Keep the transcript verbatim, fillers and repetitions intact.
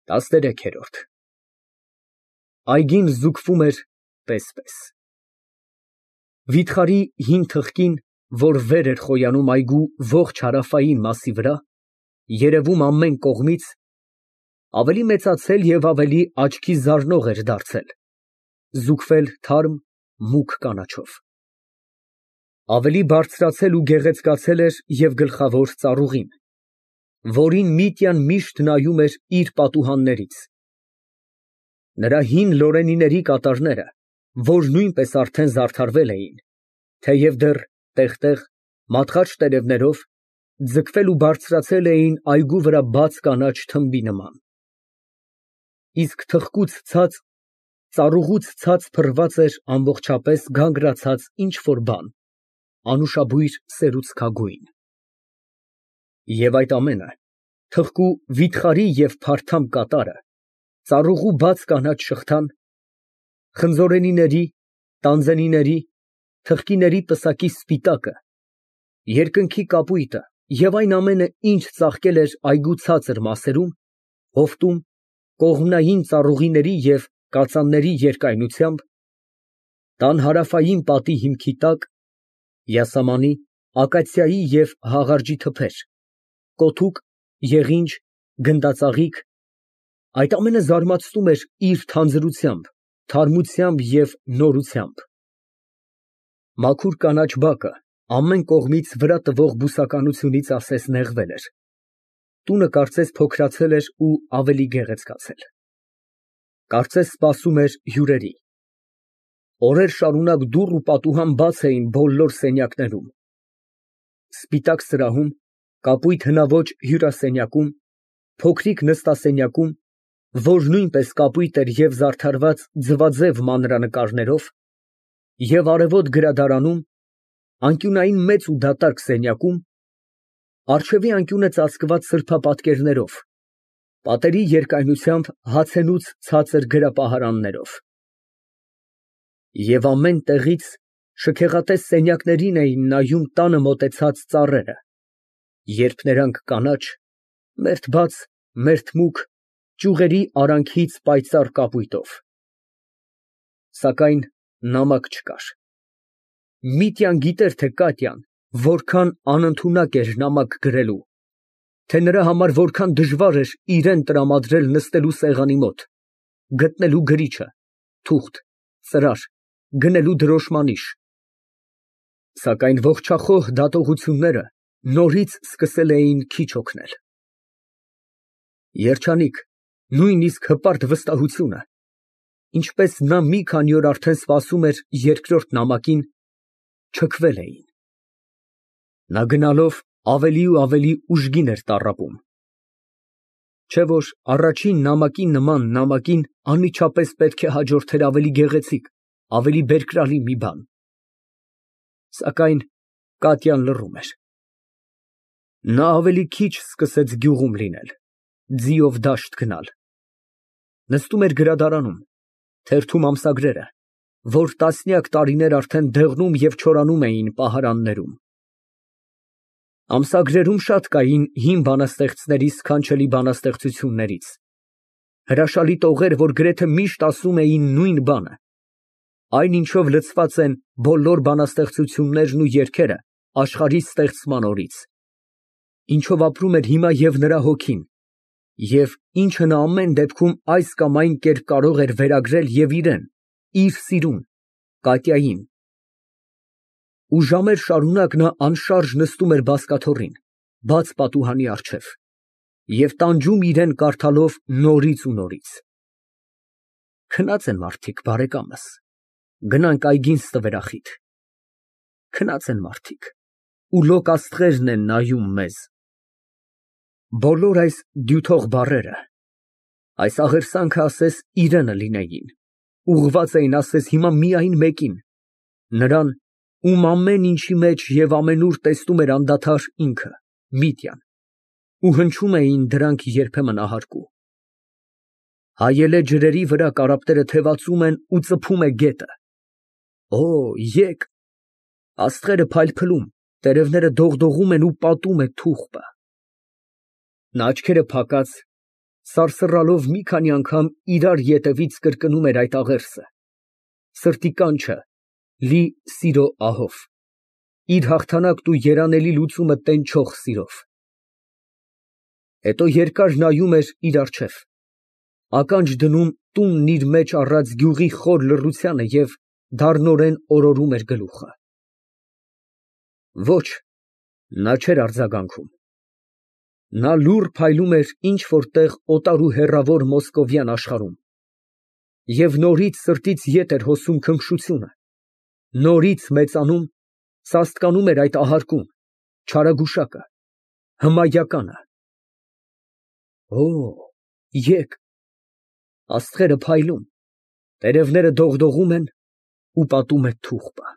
տասներեքերորդ Այգին զուգվում էր պես֊պես։ Վիթխարի հին թղթին, որ վեր էր խոյանում այգու ողջ հարավային մասի վրա, երևում ամեն կողմից, ավելի մեծացել և ավելի աչքի զարնող էր դարձել, զուգվել թարմ, մուգ կանաչով։ Ավելի բարձրացել ու գեղեցկացել էր և գլխավոր ծառուղին, որին Միտյան միշտ նայում էր իր պատուհաններից։ Նրա հին լորենիների կատարները, որ նույնպես արդեն զարդարվել էին, թեև դեռ տեղ֊տեղ, մատղաշ տերևներով, ձգվել ու բարձրացել էին այգու վրա բաց կանաչ թմբի նման։ Իսկ թղկուց ցած, ծառուղուց ցած փռված էր ամբողջապես գանգրացած ինչ֊որ բան, անուշաբույր սերուցքագույն։ Եվ այդ ամենը, թղկու վիթխարի և փարթամ կատարը, ծառուղու բաց կանաչ շղթան, խնձորենիների, տանձենիների, թղկիների պսակի սպիտակը, երկնքի կապույտը և այն ամենը, ինչ ծաղկել էր այգու ցածր մասերում, հովտում, կողմնային ծառուղիների և կածանների երկայնությամբ, տան հարավային պատի հիմքի տակ, յասամանի, ակացիայի և հաղարջի թփեր, կոթուկ, եղինջ, գնդածաղիկ, այդ ամենը զարմացնում էր իր թանձրությամբ, թարմությամբ և նորությամբ։ Մաքուր կանաչ բակը ամեն կողմից վրա տվող բուսականությունից ասես նեղվել էր, տունը կարծես փոքրացել էր ու ավելի գեղեցկացել։ Կարծես սպասում էր հյուրերի։ Օրեր շարունակ դուռ ու պատուհան բաց էին բոլոր սենյակներում, սպիտակ սրահում, կապույտ հնաոճ հյուրասենյակում, փոքրիկ նստասենյակում, որ նույնպես կապույտ էր և զարդարված ձվաձև մանրանկարներով, և արևոտ գրադարանում, անկյունային մեծ ու դատարկ սենյակում, առջևի անկյունը ծածկված սրբապատկերներով, պատերի երկայնությամբ հացենուց ցածր գրապահարաններով։ Եվ ամեն տեղից շքեղատես սենյակներին էին նայում տանը մոտեցած ծառերը, երբ նրանք կանաչ, մերթ բաց, մերթ մուգ, ճյուղերի արանքից պայծառ կապույտով։ Սակայն նամակ չկար։ Միտյան գիտեր, թե Կատյան որքան անընդունակ էր նամակ գրելու, թե նրա համար որքան դժվար էր իրան տրամադրել նստելու սեղանի մոտ, գտնելու գրիչը, թուղթ, ծրար, գնելու դրոշմանիշ։ Սակայն ողջախոհ դատողությունները նորից սկսել էին քիչ օգնել։ Երջանիկ, նույնիսկ հպարտ վստահությունը, ինչպես նա մի քանի օր արդեն սպասում էր երկրորդ նամակին, չքվել էին։ Նա գնալով ավելի ու ավելի ուժգին էր տառապում։ Չէ՞ որ առաջին նամակի նման նամակին անմիջապես պետք է հաջորդեր ավելի գեղեցիկ, ավելի բերկրալի մի բան։ Սակայն Կատյան լռում էր։ Նա ավելի քիչ սկսեց գյուղում լինել, ձիով դաշտ գնալ։ Նստում էր գրադարանում, թերթում ամսագրերը, որ տասնյակ տարիներ արդեն դեղնում և չորանում էին պահարաններում։ Ամսագրերում շատ կային հին բանաստեղծների սքանչելի բանաստեղծություններից, հրաշալի տողեր, որ գրեթե միշտ ասում էին նույն բանը, այն, ինչով լցված են բոլոր բանաստեղծություններն ու երգերը աշխարհի ստեղծման օրից, ինչով ապրում էր հիմա և նրա հոգին, և ինչը նա ամեն դեպքում այս կամ այն կերպ կարող էր վերագրել և իրան, իր սիրուն, Կատյային։ Ու ժամեր շարունակ նա անշարժ նստում էր բազկաթոռին, բաց պատուհանի առջև, և տանջում իրան կարդալով նորից ու նորից։ Քնած են մարդիկ, բարեկամս, գնանք այգին ստվերախիտ։ Քնած են մարդիկ, ու լոկ աստղերն են նայում մեզ։ Բոլոր այս դյութող բառերը, այս աղերսանքը ասես իրանը լինեին, ուղղված էին ասես հիմա միայն մեկին, նրան, ում ամեն ինչի մեջ և ամենուր տեսնում էր անդադար ինքը, Միտյան, ու հնչում էին դրանք երբեմն ահարկու։ Հայելե ջրերի վրա կարապները թևածում են ու ծփում է գետը։ Օ, եկ, աստղերը փայլփլում, տերևները դողդողում են ու պատում է թուղթը։ Նա աչքերը փակած, սարսռալով մի քանի անգամ իրար ետևից կրկնում էր այդ աղերսը, սրտի կանչը, լի սիրո ահով, իր հաղթանակն ու երանելի լուծումը տենչող սիրով։ Հետո երկար նայում էր իր առջև, ականջ դնում տունն իր մեջ առած գյուղի խոր լռությանը և դառնորեն օրորում էր գլուխը։ Ոչ, նա չէր արձագանքում։ Նա լուռ փայլում էր ինչ֊որ տեղ օտար ու հեռավոր մոսկովյան աշխարհում, և նորից սրտից ետ էր հոսում քնքշությունը, նորից մեծանում, սաստկանում էր այդ ահարկուն, չարագուշակը, հմայականը։ Օ, եկ, աստղերը փայլում, տերևները դողդողում են ու պատում է թուղթը։